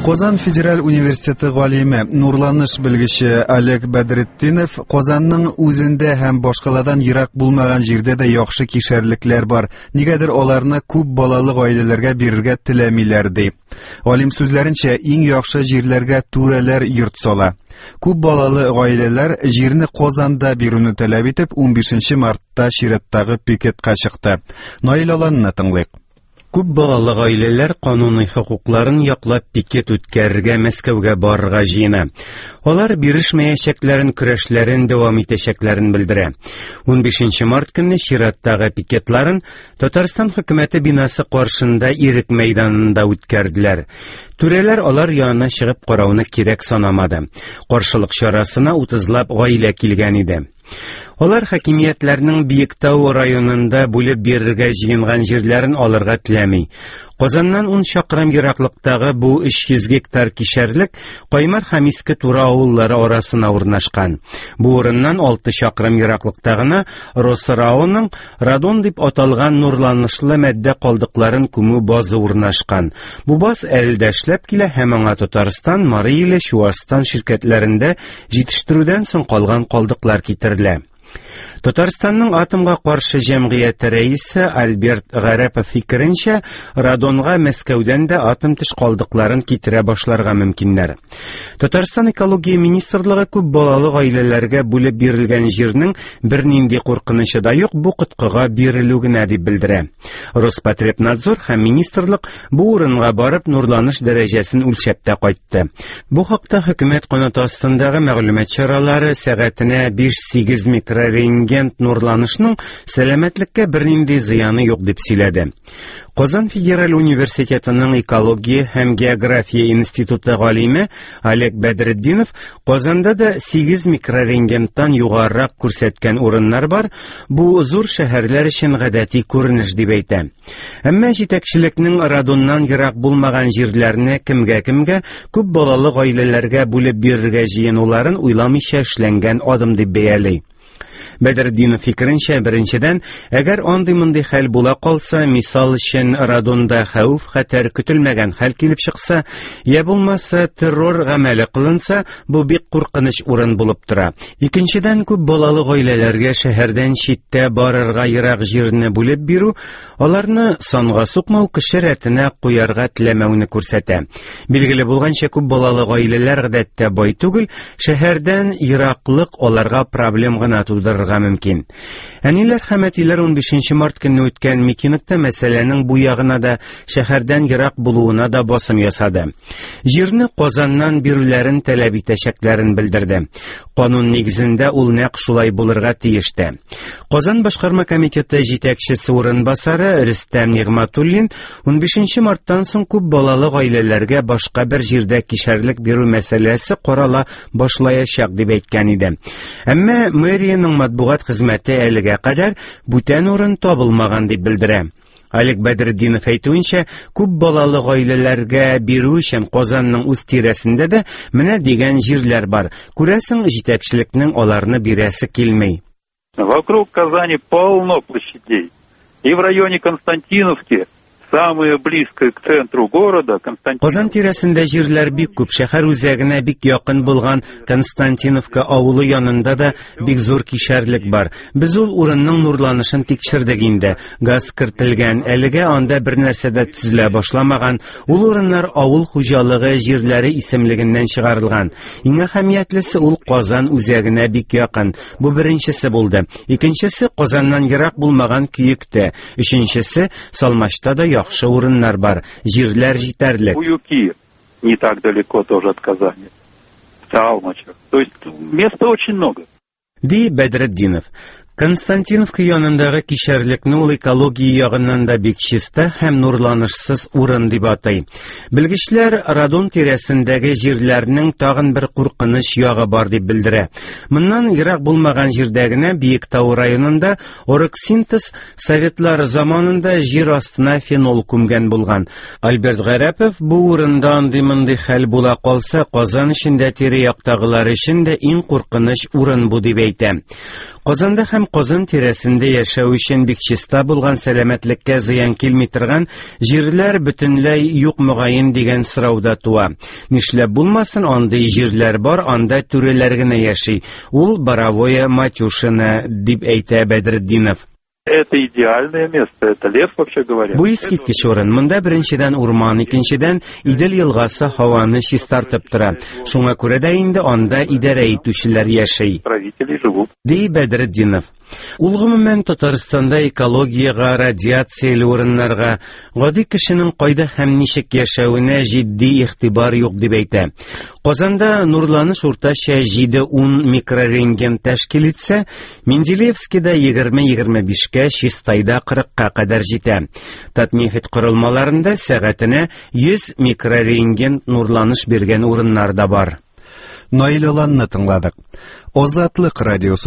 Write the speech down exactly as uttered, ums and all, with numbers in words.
Казан федераль университеты галиме, нурланыш белгече Олег Бәдретдинов Казанның үзендә һәм башкаладан ерак булмаган җирдә дә яхшы кишәрлекләр бар. Нигәдер аларны күп балалы гаиләләргә бирергә теләмиләр, ди. Галим сүзләренчә, иң яхшы җирләргә түрәләр йорт сала. Күп балалы гаиләләр җирне Казанда бирүне таләп итеп, унбишенче мартта чираттагы пикетка чыкты. Наил Аланны тыңлыйк. Күп балалы гаиләләр кануни хокукларын яклап пикет үткәрергә Мәскәүгә барырга җыена. Алар бирешмәячәкләрен, көрәшләрен дәвам итәчәкләрен белдерә. Унбишенче март көнне чираттагы пикетларын Татарстан хөкүмәте бинасы каршында Ирек мәйданында үткәрделәр. Түрәләр алар янына чыгып карауны кирәк санамады. Каршылык чарасына утызлап гаилә килгән иде. Алар хакимиятләрнең Биектау районында бүлеп бирергә җыенган җирләрен алырга теләми. Казаннан ун чакрым ераклыктагы бу өч йөз гектар кишәрлек Каймар һәм Иске Тура авыллары арасына урнашкан. Бу урыннан алты чакрым ераклыкта гына Росрауның радон дип аталган нурланышлы матдә калдыкларын күмү базы урнашкан. Бу баз әле дә эшләп килә һәм аңа Татарстан, Мари Иле, Чуашстан ширкәтләрендә җитештерүдән соң калган калдыклар китерелә. Татарстанның атомга каршы җәмгыяте рәисе Альберт Гарәпов фикеренчә, радонга Мәскәүдән дә атом төш калдыкларын китерә башларга мөмкиннәр. Татарстан экология министрлыгы күп балалы гаиләләргә бүлеп бирелгән җирнең бернинди куркынычы да юк, бу коткыга бирелү генә дип белдерә. Роспотребнадзор һәм министрлык бу урынга барып нурланыш дәрәҗәсен үлчәп тә кайтты. Бу хакта хөкүмәт канаты астындагы мәгълүмат чаралары сәгатенә биш-сигез микрорентген нурланышның сәламәтлеккә бернинди зыяны юк дип сөйләде. Казан федераль университетының экология һәм география институты галиме Олег Бәдретдинов Казанда да сигез микрорентгеннан югарырак күрсәткән урыннар бар, бу зур шәһәрләр өчен гадәти күренеш дип әйтә. Әмма җитәкчелекнең радоннан ерак булмаган җирләрне кемгә-кемгә күп балалы гаиләләргә бүлеп бирергә җыенуларын уйламыйча эшләнгән адым дип бәяли. Бәдретдинов фикеренчә, беренчедән, әгәр андый-мондый хәл була калса, мисал өчен радонда хәвеф хәтәр көтелмәгән хәл килеп чыкса, я булмаса террор гамәле кылынса, бу бик куркыныч урын булып тора. Икенчедән, күп балалы гаиләләргә шәһәрдән читтә барырга ерак җирне бүлеп бирү, аларны санга сукмау, кеше рәтенә куярга теләмәүне күрсәтә. Билгеле булганча, күп балалы гаиләләр гадәттә бай түгел, шәһәрдән ераклык аларга проблем гына тудырырга мөмкин. Әниләр һәм әтиләр унбишенче март көнне үткән митингта мәсьәләнең бу ягына да, шәһәрдән ерак булуына да басым ясады. Җирне Казаннан бирүләрен таләп итәчәкләрен белдерде. Канун нигезендә ул нәкъ шулай булырга тиеш тә. Казан башкарма комитеты җитәкчесе урынбасары Рөстәм Нигъмәтуллин унбишенче марттан соң күп балалы гаиләләргә башка бер җирдә кишәрлек бирү мәсьәләсе карала башлаячак дип әйткән иде. Әмма мэриянең матбугат хезмәте әлегә кадәр бүтән урын табылмаган дип белдерә. Олег Бәдретдинов әйтүенчә, күп балалы гаиләләргә бирү өчен Казанның үз тирәсендә дә менә дигән җирләр бар. Күрәсең, җитәкчелекнең аларны бирәсе килми. Вокруг Казани полно площадей. И в районе Константиновки, самое близкое к центру города, Константиновка. Казан тирәсендә җирләр бик күп, шәһәр үзәгенә бик якын булган Константиновка авылы янында да бик зур кишәрлек бар. Без ул урынның нурланышын тикшердек инде. Газ кертелгән, әлегә анда бер нәрсә дә төзелә башламаган. Ул урыннар авыл хуҗалыгы җирләре исемлегеннән чыгарылган. Иң әһәмиятлесе, ул Казан үзәгенә бик якын. Бу беренчесе булды. Икенчесе, Казаннан ерак булмаган Көектә. Өченчесе, Салмачта да яхшы урыннар бар, җирләр җитәрлек. Куюки не так далеко тоже от Казани, в Салмачах. То есть места очень много. Ди Бәдретдинов. Константиновка янындагы кишәрлекне ул экология ягыннан да бик чиста һәм нурланышсыз урын дип атый. Белгечләр радон тирәсендәге җирләрнең тагын бер куркыныч ягы бар дип белдерә. Моннан ерак булмаган җирдә генә Биектау районында Орексинтез советлар заманында җир астына фенол күмгән булган. Альберт Гарәпов бу урында андый-мондый хәл була калса, Казан эчендә тирә-яктагылар өчен дә иң куркыныч урын бу дип әйтә. Казанда һәм Һәм Казан тирәсендә яшәү өчен бик чиста булган, сәламәтлеккә зыян килми торган җирләр бөтенләй юк мөгаен дигән сорау да туа. Нишләп булмасын, андый җирләр бар, анда түрәләр генә яши. Ул Боровое Матюшино, дип әйтә Бәдретдинов. Это идеальное место, это лес, вообще говоря. Бу искиткеч урын. Монда беренчедән урман, икенчедән Идел елгасы һаваны чистартып тора. Шуңа күрә дә инде анда идарә итүчеләр яши. Правители живут. Ди Бәдретдинов. Ул гомумән Татарстанда экологиягә, радиацияле урыннарга, гади кешенең кайда һәм ничек яшәвенә җитди игътибар юк дип әйтә. Казанда нурланыш уртача җиде-ун микрорентген тәшкил итсә, Менделеевскида егерме-егерме бишкә, Чистайда кырыкка кадәр җитә. Татнефть корылмаларында сәгатенә йөз микрорентген нурланыш биргән урыннар да бар. Наил Аланны тыңладык. Азатлык радиосы.